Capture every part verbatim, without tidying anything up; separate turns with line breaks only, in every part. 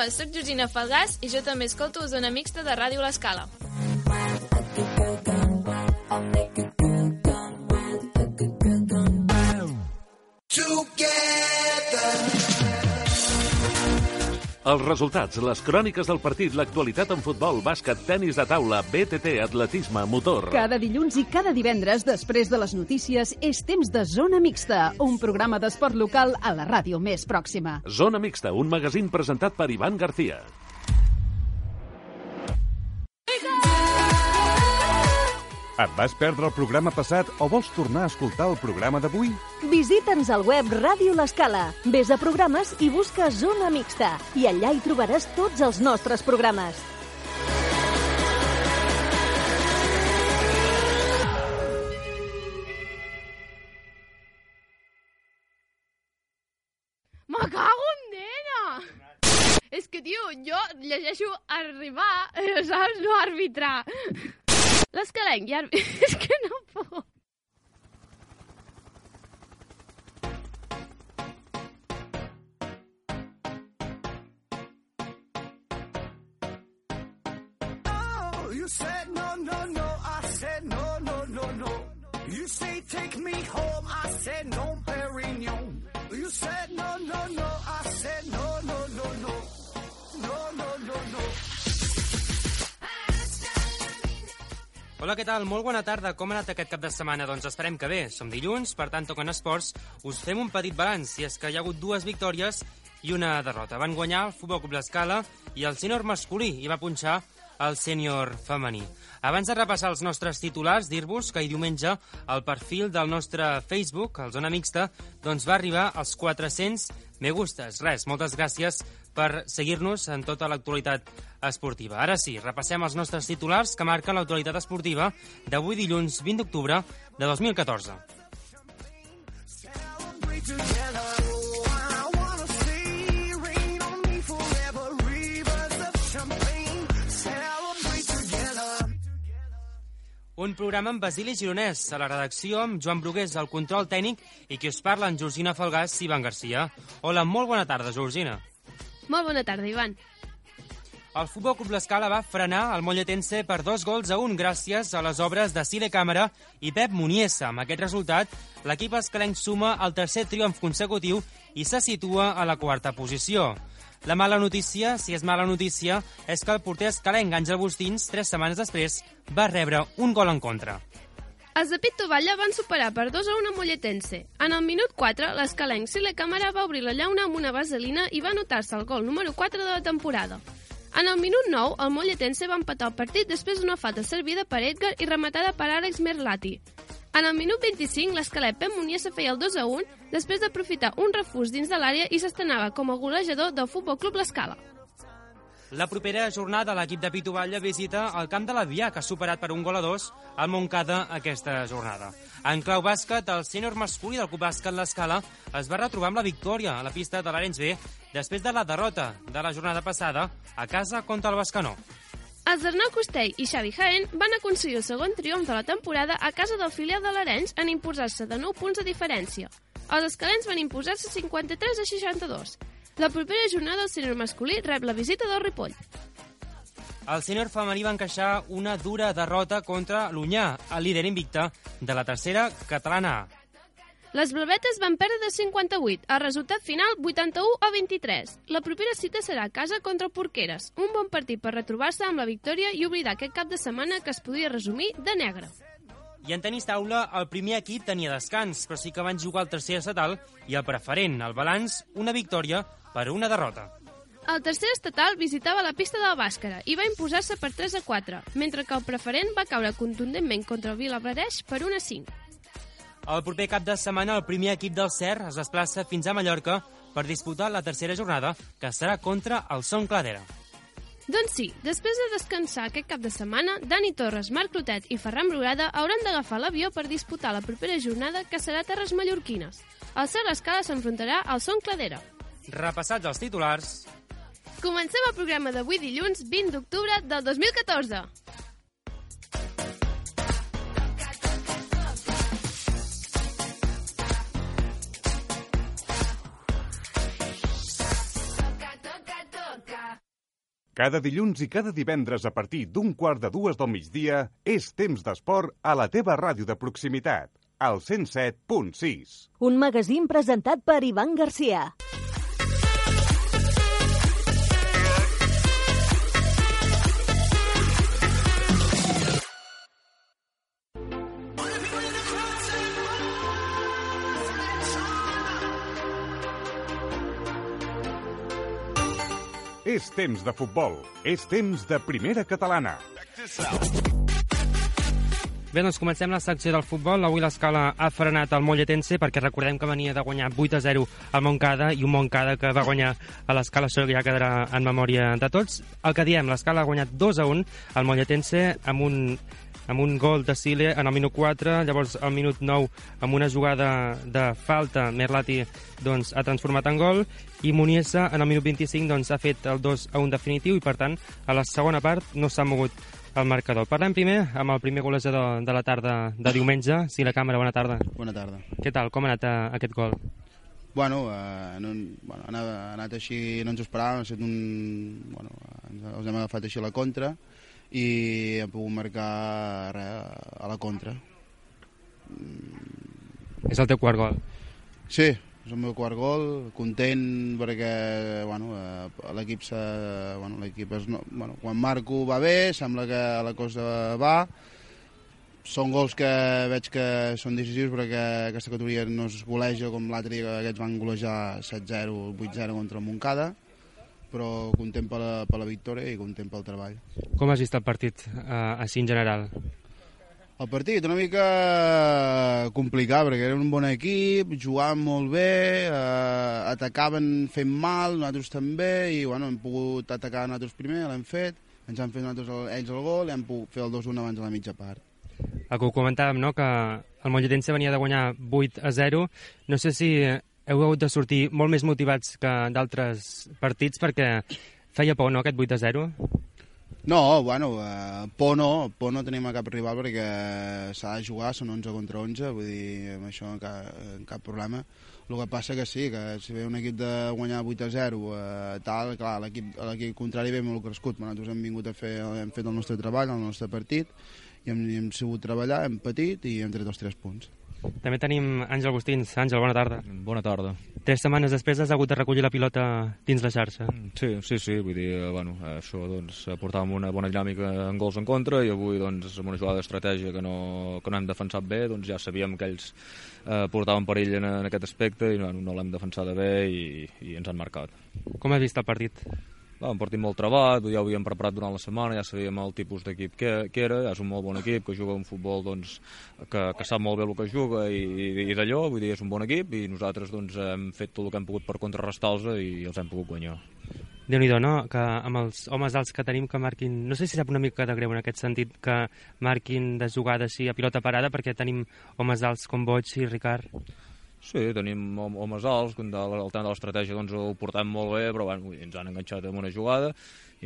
Hola, sóc Georgina Falgàs i jo també escolto Zona Mixta de Ràdio L'Escala.
Els resultats, les cròniques del partit, l'actualitat en futbol, bàsquet, tenis de taula, B T T, atletisme, motor...
Cada dilluns i cada divendres, després de les notícies, és temps de Zona Mixta, un programa d'esport local a la ràdio més pròxima.
Zona Mixta, un magazín presentat per Ivan García.
Et vas perdre el programa passat o vols tornar a escoltar el programa d'avui?
Visita'ns al web Ràdio L'Escala. Ves a programes i busca Zona Mixta. I allà hi trobaràs tots els nostres programes.
Me cago en nena! És que, tio, jo llegeixo arribar, saps? No arbitrar. L'escalenc, ja... És que no puc.
Oh, you said no, no, no. I said no, no, no, no. You say take me home. I said no, Perignon. You said no, no, no. I said no, no, no, no. No, no, no, no.
Hola, què tal? Molt bona tarda. Com ha anat aquest cap de setmana? Doncs esperem que bé. Som dilluns, per tant, toquen esports. Us fem un petit balanç, i és que hi ha hagut dues victòries i una derrota. Van guanyar el Futbol Club L'Escala i el sènior masculí, i va punxar el sènior femení. Abans de repassar els nostres titulars, dir-vos que ahir diumenge el perfil del nostre Facebook, el Zona Mixta, doncs va arribar als quatre-cents me gustes. Res, moltes gràcies per seguir-nos en tota l'actualitat esportiva. Ara sí, repassem els nostres titulars que marquen l'actualitat esportiva d'avui dilluns vint d'octubre de dos mil catorze. Un programa amb Basili Gironès, a la redacció amb Joan Brugués, al control tècnic, i qui us parla en Georgina Falgàs i Ivan García. Hola, molt bona tarda, Georgina.
Molt bona tarda, Ivan.
El Futbol Club L'Escala va frenar el molletense per dos gols a un gràcies a les obres de Sile Càmera i Pep Muniesa. Amb aquest resultat, l'equip escalenc suma el tercer triomf consecutiu i se situa a la quarta posició. La mala notícia, si és mala notícia, és que el porter escalenc Àngel Bustins, tres setmanes després, va rebre un gol en contra.
Els de Pit Tovalla van superar per dos a un a Molletense. En el minut quatre, l'escalenc Sile Càmera va obrir la llauna amb una vaselina i va anotar-se el gol número quatre de la temporada. En el minut nou, el Molletense va empatar el partit després d'una falta servida per Edgar i rematada per Àlex Merlati. En el minut vint-i-cinc, l'escalet Pep Muniesa feia el dos a un després d'aprofitar un refús dins de l'àrea i s'estrenava com a golejador del Futbol Club L'Escala.
La propera jornada l'equip de Pitovalla visita el camp de l'Avià, que ha superat per un gol a dos al Montcada aquesta jornada. En clau bàsquet, el sènior masculí del Club Bàsquet L'Escala es va retrobar amb la victòria a la pista de l'Arenys B després de la derrota de la jornada passada a casa contra el Bescanó.
Els Arnau Costell i Xavi Jaén van aconseguir el segon triomf de la temporada a casa del filial de l'Arenys en imposar-se de nou punts de diferència. Els escalents van imposar-se cinquanta-tres a seixanta-dos. La propera jornada el sènior masculí rep la visita del Ripoll.
El sènior femení va encaixar una dura derrota contra l'Unyà, el líder invicte de la tercera catalana A.
Les blavetes van perdre de cinquanta-vuit, el resultat final vuitanta-u a vint-i-tres. La propera cita serà a casa contra el Porqueres, un bon partit per retrobar-se amb la victòria i oblidar aquest cap de setmana que es podia resumir de negre.
I en tenis taula, el primer equip tenia descans, però sí que van jugar el tercer estatal i el preferent, el balanç, una victòria per una derrota.
El tercer estatal visitava la pista del Bàscara i va imposar-se per tres a quatre, mentre que el preferent va caure contundentment contra el Vilablareix per un a cinc.
El proper cap de setmana, el primer equip del C E R es desplaça fins a Mallorca per disputar la tercera jornada, que serà contra el Son Cladera.
Doncs sí, després de descansar aquest cap de setmana, Dani Torres, Marc Clotet i Ferran Brugada hauran d'agafar l'avió per disputar la propera jornada, que serà a Terres Mallorquines. El C E R L'Escala s'enfrontarà al Son Cladera.
Repassats els titulars...
Comencem el programa d'avui dilluns vint d'octubre del dos mil catorze.
Cada dilluns i cada divendres a partir d'un quart de dues del migdia és temps d'esport a la teva ràdio de proximitat, al cent set punt sis.
Un magazín presentat per Ivan Garcia.
És temps de futbol, és temps de primera catalana.
Bé, doncs comencem la secció del futbol. Avui l'Escala ha frenat el Molletense perquè recordem que venia de guanyar vuit a zero al Montcada i un Montcada que va guanyar a l'Escala, això ja quedarà en memòria de tots. El que diem, l'Escala ha guanyat dos a un al Molletense amb un, amb un gol de Sile en el minut quatre, llavors al minut nou amb una jugada de falta Merlati doncs, ha transformat en gol i Muniesa en el minut vint-i-cinc doncs, ha fet el dos a un definitiu i per tant a la segona part no s'ha mogut el marcador. Parlem primer amb el primer golejador de la tarda de diumenge. Sí, la càmera, bona tarda.
Bona tarda.
Què tal? Com ha anat uh, aquest gol?
Bueno, uh, no, bueno ha, anat, ha anat així, no ens ho esperàvem, ha estat un... Bueno, els hem agafat així a la contra i hem pogut marcar res, a la contra.
És el teu quart gol?
Sí, és el meu quart gol, content perquè bueno, l'equip bueno, l'equip és, no, bueno, quan marco va bé, sembla que la cosa va. Són gols que veig que són decisius perquè aquesta categoria no es goleja com l'altre dia que aquests van golejar set zero, vuit zero contra el Montcada, però content per la, per la victòria i content pel treball.
Com has vist el partit eh, així en general?
El partit una mica complicat perquè era un bon equip, jugaven molt bé, eh, atacaven fent mal, nosaltres també, i bueno, hem pogut atacar nosaltres primer, l'hem fet, ens han fet nosaltres el, ells el gol i hem pogut fer el dos a un abans de la mitja part.
El que ho comentàvem, no?, que el Molletense venia de guanyar vuit a zero. No sé si heu hagut de sortir molt més motivats que d'altres partits perquè feia por, no?, aquest vuit a zero?
No, bueno, eh, por no, por no tenim a cap rival perquè s'ha de jugar, són onze contra onze, vull dir, amb això cap, cap problema. El que passa que sí, que si ve un equip de guanyar vuit a zero, eh, tal, clar, l'equip contrari ve molt crescut, nosaltres hem vingut a fer, hem fet el nostre treball, el nostre partit, i hem, hem sabut treballar, hem patit i hem tret els tres punts.
També tenim Àngel Agustins. Àngel, bona tarda.
Bona tarda.
Tres setmanes després has hagut de recollir la pilota dins la xarxa.
Sí, sí, sí, vull dir, bueno, això doncs portàvem una bona dinàmica en gols en contra i avui doncs amb una jugada d'estratègia que no, que no hem defensat bé, doncs ja sabíem que ells eh, portaven perill en, en aquest aspecte i no, no l'hem defensada bé i, i ens han marcat.
Com has vist el partit?
Va, un partit molt trebat, ja ho havíem preparat durant la setmana, ja sabíem el tipus d'equip que, que era, ja és un molt bon equip, que juga un futbol doncs, que, que sap molt bé el que juga i, i, i d'allò, vull dir, és un bon equip i nosaltres doncs, hem fet tot el que hem pogut per contrarrestar-los i els hem pogut guanyar.
Déu-n'hi-do, no?, que amb els homes alts que tenim que marquin, no sé si sap una mica de greu en aquest sentit, que marquin de jugada així a pilota parada perquè tenim homes alts com Boig i Ricard.
Sí, tenim homes alts, el tema de l'estratègia doncs, ho portem molt bé, però bueno, ens han enganxat en una jugada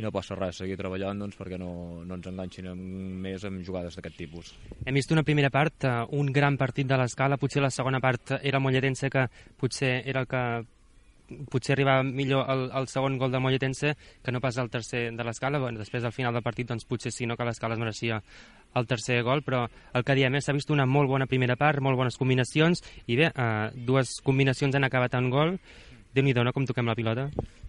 i no passa res, seguir treballant doncs, perquè no, no ens enganxin més amb jugades d'aquest tipus.
Hem vist una primera part, un gran partit de l'Escala, potser la segona part era el Molletense, que potser era el que potser arribava millor el, el segon gol del Molletense que no pas el tercer de l'Escala. Bueno, després al final del partit doncs, potser sí, no, que l'Escala es mereixia el tercer gol, però el que diem és s'ha vist una molt bona primera part, molt bones combinacions i bé, eh, dues combinacions han acabat en gol. Déu-n'hi-do, no?, com toquem la pilota.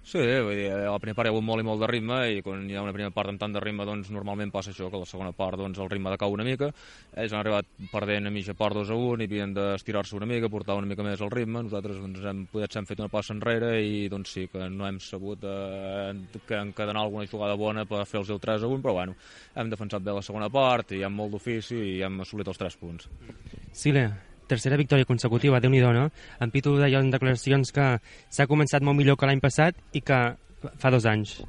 Sí, vull dir, a la primera part hi ha hagut molt i molt de ritme i quan hi ha una primera part amb tant de ritme doncs normalment passa això, que a la segona part doncs, el ritme decau una mica. Ells han arribat perdent a mitja part dos a un i havien d'estirar-se una mica, portar una mica més el ritme. Nosaltres doncs, hem, potser hem fet una passa enrere i doncs sí, que no hem sabut eh, que encadenar alguna jugada bona per fer-los el tres a un, però bueno, hem defensat bé la segona part i amb molt d'ofici i hem assolit els tres punts.
Sile, tercera victòria consecutiva, Déu-n'hi-do, no? En Pitu deia en declaracions que s'ha començat molt millor que l'any passat i que fa dos anys.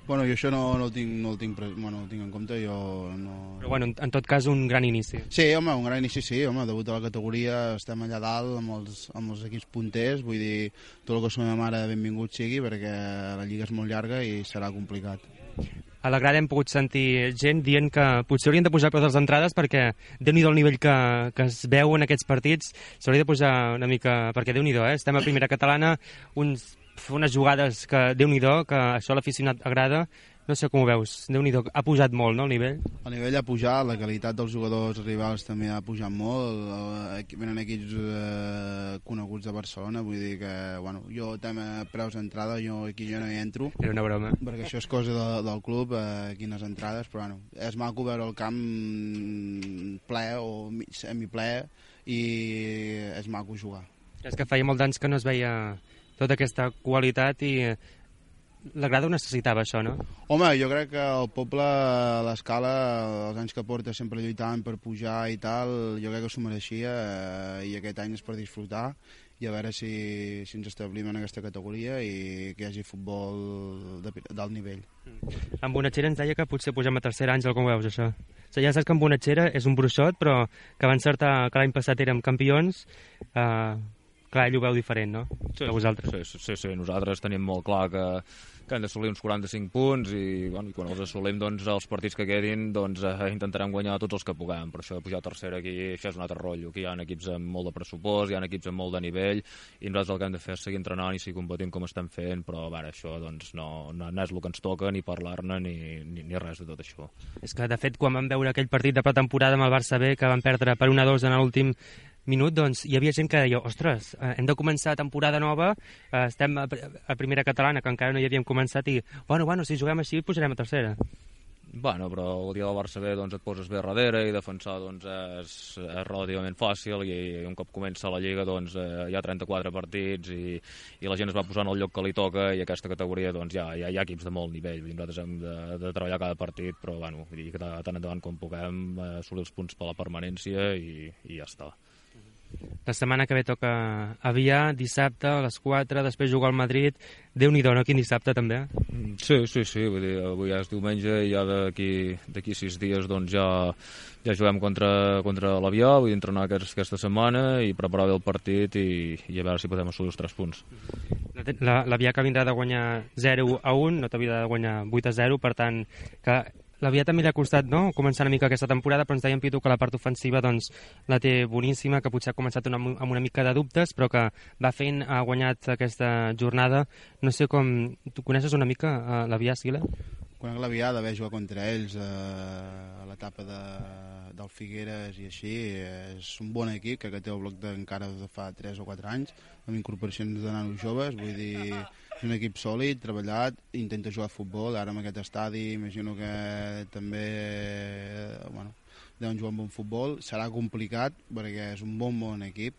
Bueno, jo això no, no, el tinc, no, el tinc, bueno, no el tinc en compte, jo no...
Però bueno, en tot cas un gran inici.
Sí, home, un gran inici sí, home, debut a la categoria, estem allà dalt amb els, amb els equips punters, vull dir, tot el que som mare benvingut sigui perquè la lliga és molt llarga i serà complicat.
A la grada hem pogut sentir gent dient que potser haurien de posar preus a les entrades perquè Déu-n'hi-do el nivell que, que es veu en aquests partits, s'hauria de posar una mica, perquè Déu-n'hi-do, eh? Estem a primera catalana, uns, unes jugades que Déu-n'hi-do, que això a l'aficionat agrada, no sé com ho veus, Déu-n'hi-do, ha pujat molt, no, el nivell?
El nivell ha pujat, la qualitat dels jugadors rivals també ha pujat molt, eh, venen equips eh, coneguts de Barcelona, vull dir que, bueno, jo tema preus d'entrada, jo aquí jo no hi entro.
Era una broma.
Perquè això és cosa de, del club, eh, quines entrades, però bueno, és maco veure el camp ple o semiple i és maco jugar.
És que feia molts anys que no es veia tota aquesta qualitat i l'Agrada ho necessitava, això, no?
Home, jo crec que el poble, a l'Escala, els anys que porta sempre lluitant per pujar i tal, jo crec que s'ho mereixia eh, i aquest any és per disfrutar i a veure si, si ens establim en aquesta categoria i que hi hagi futbol d'alt nivell.
En Bonatxera ens deia que potser pugem a tercera, Àngel, com veus, això? O sigui, ja saps que en Bonatxera és un bruixot, però que va encertar que l'any passat érem campions, eh, clar, ell ho veu diferent, no?
Sí,
que vosaltres.
Sí, sí, sí, nosaltres tenim molt clar que, que hem d'assolir uns quaranta-cinc punts i, bueno, i quan els assolim, doncs, els partits que quedin, doncs, eh, intentarem guanyar tots els que puguem. Per això de pujar a tercera aquí, això és un altre rotllo. Aquí hi ha equips amb molt de pressupost, hi ha equips amb molt de nivell, i nosaltres el que hem de fer és seguir entrenant i seguir competint com estem fent, però, a veure, això, doncs, no, no, no és el que ens toca, ni parlar-ne, ni, ni, ni res de tot això.
És que, de fet, quan vam veure aquell partit de pretemporada amb el Barça B, que van perdre per un a dos en l'últim minut, doncs hi havia gent que deia, ostres, eh, hem de començar temporada nova, eh, estem a, a primera catalana, que encara no hi havíem començat, i, bueno, bueno, si juguem així, pujarem a tercera.
Bueno, però el dia del Barça B, doncs, et poses bé darrere i defensar, doncs, és, és relativament fàcil i, i un cop comença la Lliga, doncs, eh, hi ha trenta-quatre partits i, i la gent es va posant al lloc que li toca i aquesta categoria, doncs, ja, ja hi ha equips de molt nivell. Nosaltres hem de, de treballar cada partit, però, bueno, vull dir que tant endavant com puguem eh, assolir els punts per la permanència i, i ja està.
La setmana que ve toca Avià, dissabte a les quatre, després jugar al Madrid. Déu-n'hi-do, no? Quin dissabte, també?
Sí, sí, sí, vull dir, avui ja és diumenge i ja d'aquí d'aquí sis dies doncs ja, ja juguem contra, contra l'Avià, vull entrenar aquest, aquesta setmana i preparar bé el partit i, i a veure si podem assolir els tres punts.
L'Avià que vindrà de guanyar zero a un, no t'havia de guanyar vuit a zero, per tant, que l'Avià també li ha costat, no?, començar una mica aquesta temporada, però ens deia en Pitu que la part ofensiva doncs, la té boníssima, que potser ha començat una, amb una mica de dubtes, però que va fent, ha guanyat aquesta jornada. No sé com... Tu coneixes una mica uh, l'Avià, Sila?
Conec l'Avià d'haver jugat contra ells eh, a l'etapa de, del Figueres i així. És un bon equip, que té el bloc encara de fa tres o quatre anys, amb incorporacions de nanos joves, vull dir... És un equip sòlid, treballat, intenta jugar a futbol, ara amb aquest estadi imagino que també bueno, deuen jugar un bon futbol, serà complicat perquè és un bon bon equip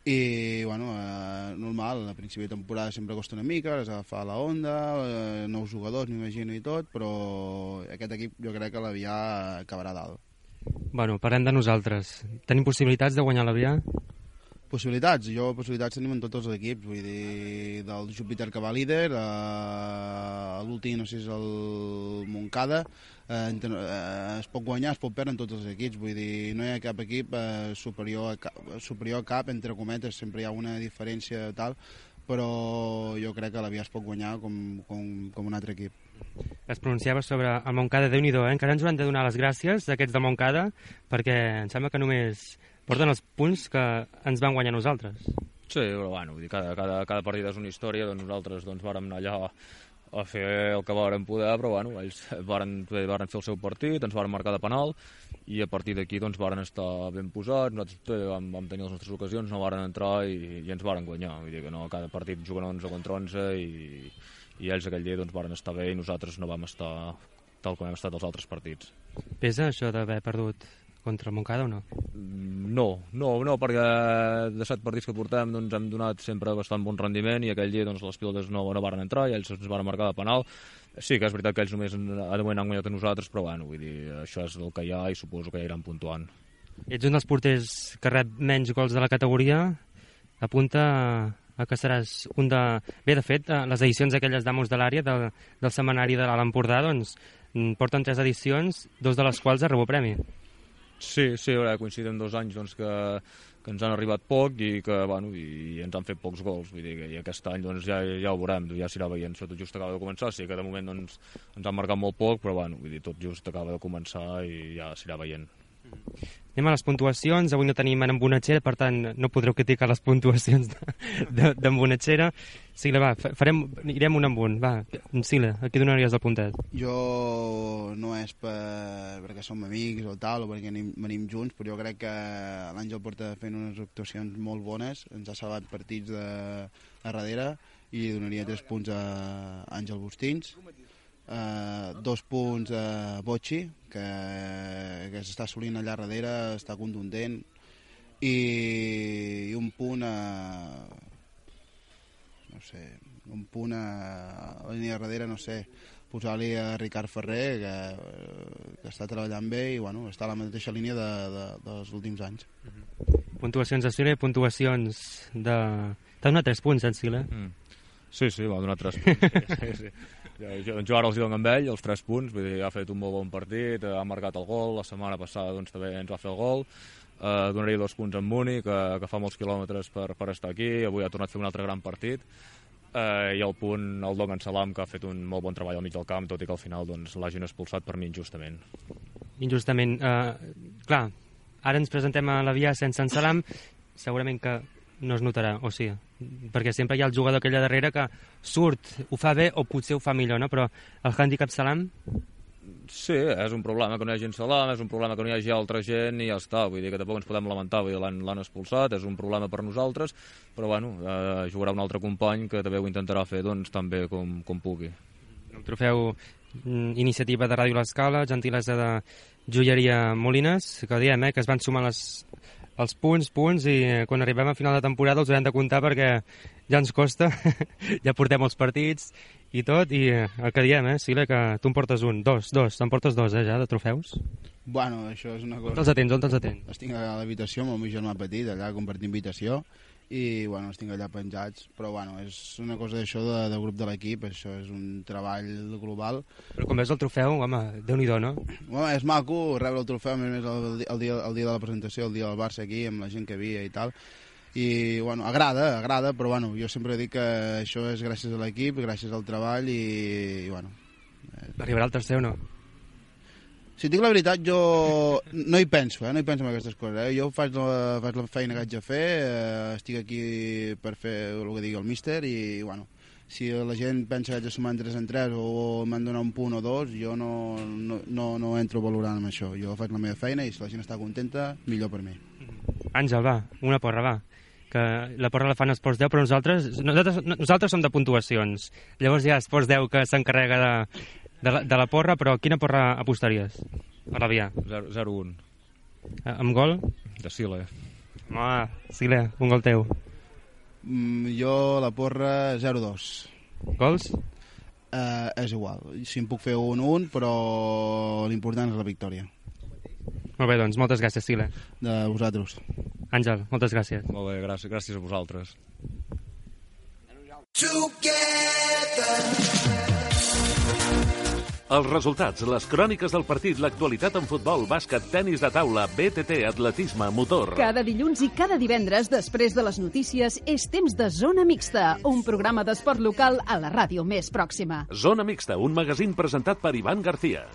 i bueno, eh, normal, a principi de temporada sempre costa una mica, has d'agafar la onda, eh, nous jugadors m'imagino i tot, però aquest equip jo crec que l'Avià acabarà dalt.
Bueno, parlem de nosaltres. Tenim possibilitats de guanyar l'Avià?
Possibilitats, jo possibilitats tenim en tots els equips, vull dir, del Júpiter que va líder, a l'últim, no sé si és el Montcada, eh, eh, es pot guanyar, es pot perdre en tots els equips, vull dir, no hi ha cap equip eh, superior, a cap, superior a cap, entre cometes, sempre hi ha una diferència tal, però jo crec que l'Avià es pot guanyar com, com, com un altre equip.
Es pronunciava sobre el Montcada, Déu-n'hi-do, eh? Encara ens hauran de donar les gràcies a aquests de Montcada, perquè em sembla que només porten els punts que ens van guanyar nosaltres.
Sí, però bueno, vull dir, cada, cada, cada partit és una història, doncs nosaltres doncs, vàrem anar allà a fer el que vàrem poder, però bueno, ells varen, varen fer el seu partit, ens varen marcar de penal, i a partir d'aquí doncs varen estar ben posats, nosaltres vam, vam tenir les nostres ocasions, no varen entrar i, i ens varen guanyar, vull dir que no, cada partit juguen onze contra onze i, i ells aquell dia doncs varen estar bé i nosaltres no vam estar tal com hem estat els altres partits.
Pesa això d'haver perdut contra el Montcada o no?
No, no, no, perquè de set partits que portem doncs, hem donat sempre bastant bon rendiment i aquell dia doncs, les pilotes no, no varen entrar i ells ens van marcar de penal. Sí que és veritat que ells només de moment han guanyat a nosaltres, però bueno, vull dir, això és el que hi ha i suposo que ja iran puntuant.
Ets un dels porters que rep menys gols de la categoria, apunta a que seràs un de... Bé, de fet, les edicions aquelles d'Amos de l'àrea del, del setmanari de l'Alt Empordà doncs, porten tres edicions, dos de les quals a rebut premi.
Sí, sí, ara coincidim dos anys doncs, que, que ens han arribat poc i que bueno, i ens han fet pocs gols, vull dir que i aquest any doncs, ja, ja ho veurem, ja s'irà veient, això tot just acaba de començar, sí que de moment doncs, ens han marcat molt poc, però bueno, vull dir, tot just acaba de començar i ja s'irà veient.
Anem a les puntuacions. Avui no tenim en Bonatxera, per tant no podreu criticar les puntuacions d'en Bonatxera. Sila, va, farem, irem un amb un. Va, Sila, a qui donaries el puntet?
Jo no és per, perquè som amics o tal, o perquè anem, venim junts, però jo crec que l'Àngel porta fent unes actuacions molt bones, ens ha salvat partits de, a darrere, i donaria tres punts a Àngel Bustins. Uh, dos punts a Bocci, que, que s'està assolint allà darrere, està contundent, i, i un punt a no sé, un punt a, a la línia darrere, no sé, posar-li a Ricard Ferrer, que, que està treballant bé i bueno, està a la mateixa línia de, de, dels últims anys.
Puntuacions de Sila i puntuacions de... T'has donat tres punts, eh, Sila?
Mm. Sí, sí, va donar tres punts. Sí, sí. Jo, jo ara els dono amb ell, els tres punts, vull dir, ha fet un molt bon partit, ha marcat el gol, la setmana passada doncs, també ens va fer el gol, eh, donaria dos punts en Muni, que, que fa molts quilòmetres per, per estar aquí, avui ha tornat a fer un altre gran partit, eh, i el punt el dono en Salam, que ha fet un molt bon treball al mig del camp, tot i que al final doncs, l'hagin expulsat per mi injustament.
Injustament. Eh, clar, ara ens presentem a la via sense en Salam, segurament que no es notarà, o sí, perquè sempre hi ha el jugador aquell darrere que surt, ho fa bé o potser ho fa millor, no? Però el handicap Salam...
Sí, és un problema que no hi hagi Salam, és un problema que no hi hagi altra gent i ja està, vull dir que tampoc ens podem lamentar, vull dir, l'han expulsat, és un problema per nosaltres, però bueno, eh, jugarà un altre company que també ho intentarà fer doncs, tan bé com, com pugui.
El trofeu Iniciativa de Ràdio L'Escala, gentilesa de Joieria Molines, que diem, eh, que es van sumar les... els punts, punts, i quan arribem a final de temporada els haurem de comptar perquè ja ens costa, ja portem els partits i tot, i el que diem, eh, Sila, que tu em portes un, dos, dos, te'n portes dos, eh, ja, de trofeus?
Bueno, això és una cosa...
On te'ls atens, on te'ls atens?
Els tinc a l'habitació amb el meu germà petit, allà compartint habitació, i, bueno, els tinc allà penjats, però, bueno, és una cosa d'això de, del grup de l'equip, això és un treball global.
Però quan veus el trofeu, home, Déu-n'hi-do, no?
Bueno, és maco rebre el trofeu, a més el, el, dia, el dia de la presentació, el dia del Barça aquí, amb la gent que havia i tal, i, bueno, agrada, agrada, però, bueno, jo sempre dic que això és gràcies a l'equip, gràcies al treball, i, i bueno...
Arribarà el tercer o no?
Si dic la veritat, jo no hi penso, eh? no hi penso en aquestes coses. Eh? Jo faig la, faig la feina que haig de fer, eh, estic aquí per fer el que digui el míster i, bueno, si la gent pensa que haig de sumar en tres en tres o m'han donat un punt o dos, jo no, no, no, no entro valorant amb això. Jo faig la meva feina i si la gent està contenta, millor per mi.
Àngel, va, una porra, va. Que la porra la fan Esports deu, però nosaltres, nosaltres, nosaltres som de puntuacions. Llavors hi ha Esports deu que s'encarrega de... De la, de la porra, però quina porra apostaries a la via?
zero un.
Eh, amb gol?
De Sile.
Home, Sile, un gol teu.
Mm, jo la porra zero dos.
Gols?
Eh, és igual. Si em puc fer un un, però l'important és la victòria.
Molt bé, doncs, moltes gràcies, Sile.
De vosaltres.
Àngel, moltes gràcies.
Molt bé, gràcies, gràcies a vosaltres.
Els resultats, les cròniques del partit, l'actualitat en futbol, bàsquet, tenis de taula, B T T, atletisme, motor...
Cada dilluns i cada divendres, després de les notícies, és temps de Zona Mixta, un programa d'esport local a la ràdio més pròxima.
Zona Mixta, un magazín presentat per Ivan García.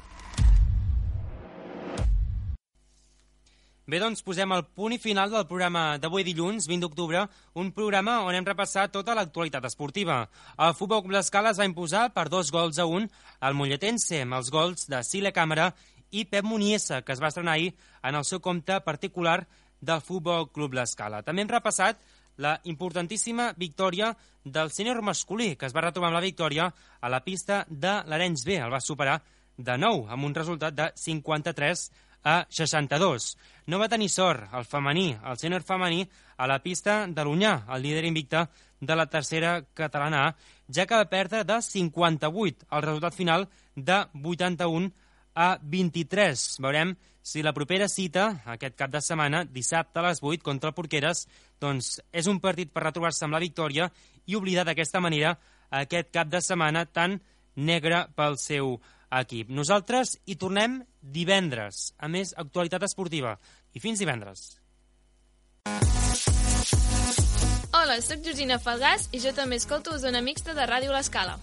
Bé, doncs posem el punt i final del programa d'avui dilluns, vint d'octubre, un programa on hem repassat tota l'actualitat esportiva. El Futbol Club L'Escala es va imposar per dos gols a un al Molletense, amb els gols de Sile Càmera i Pep Muniesa, que es va estrenar ahir en el seu compte particular del Futbol Club L'Escala. També hem repassat la importantíssima victòria del sènior masculí, que es va retrobar amb la victòria a la pista de l'Arenys B. El va superar de nou, amb un resultat de cinquanta-tres a seixanta-dos. No va tenir sort el femení, el sènior femení, a la pista de l'Onyà, el líder invicte de la tercera catalana A, ja que va perdre de cinquanta-vuit, el resultat final de vuitanta-un a vint-i-tres. Veurem si la propera cita, aquest cap de setmana, dissabte a les vuit, contra el Porqueres, doncs és un partit per retrobar-se amb la victòria i oblidar d'aquesta manera aquest cap de setmana tan negre pel seu equip. Nosaltres hi tornem divendres, a més actualitat esportiva. I fins divendres.
Hola, soc Georgina Falgàs i jo també escolto Zona Mixta de Ràdio L'Escala.